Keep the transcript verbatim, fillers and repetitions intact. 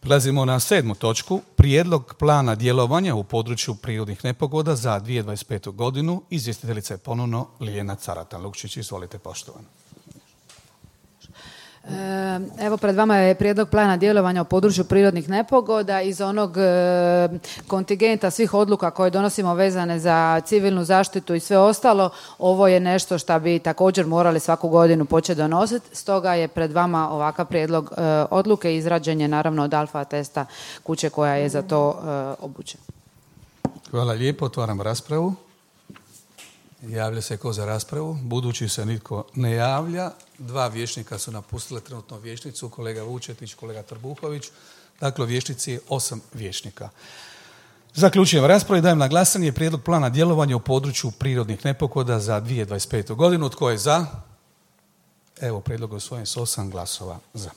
Prelazimo na sedmu točku. Prijedlog plana djelovanja u području prirodnih nepogoda za dvije tisuće dvadeset petu godinu. Izvjestiteljica je ponovno Ljiljana Caratan-Lukšić. Izvolite, poštovana. Evo, pred vama je prijedlog plana djelovanja u području prirodnih nepogoda iz onog e, kontingenta svih odluka koje donosimo vezane za civilnu zaštitu i sve ostalo. Ovo je nešto što bi također morali svaku godinu početi donositi. Stoga je pred vama ovakav prijedlog e, odluke. Izrađen je naravno od alfa testa kuće koja je za to e, obučena. Hvala lijepo. Otvaram raspravu. Javlja se ko za raspravu. Budući se nitko ne javlja, dva vijećnika su napustile trenutno vijećnicu, kolega Vučetić, kolega Trbuhović. Dakle, vijećnici je osam vijećnika. Zaključujem raspravu i dajem na glasanje prijedlog plana djelovanja u području prirodnih nepogoda za dvije tisuće dvadeset petu godinu. Tko je za? Evo, prijedlog je usvojen s osam glasova za.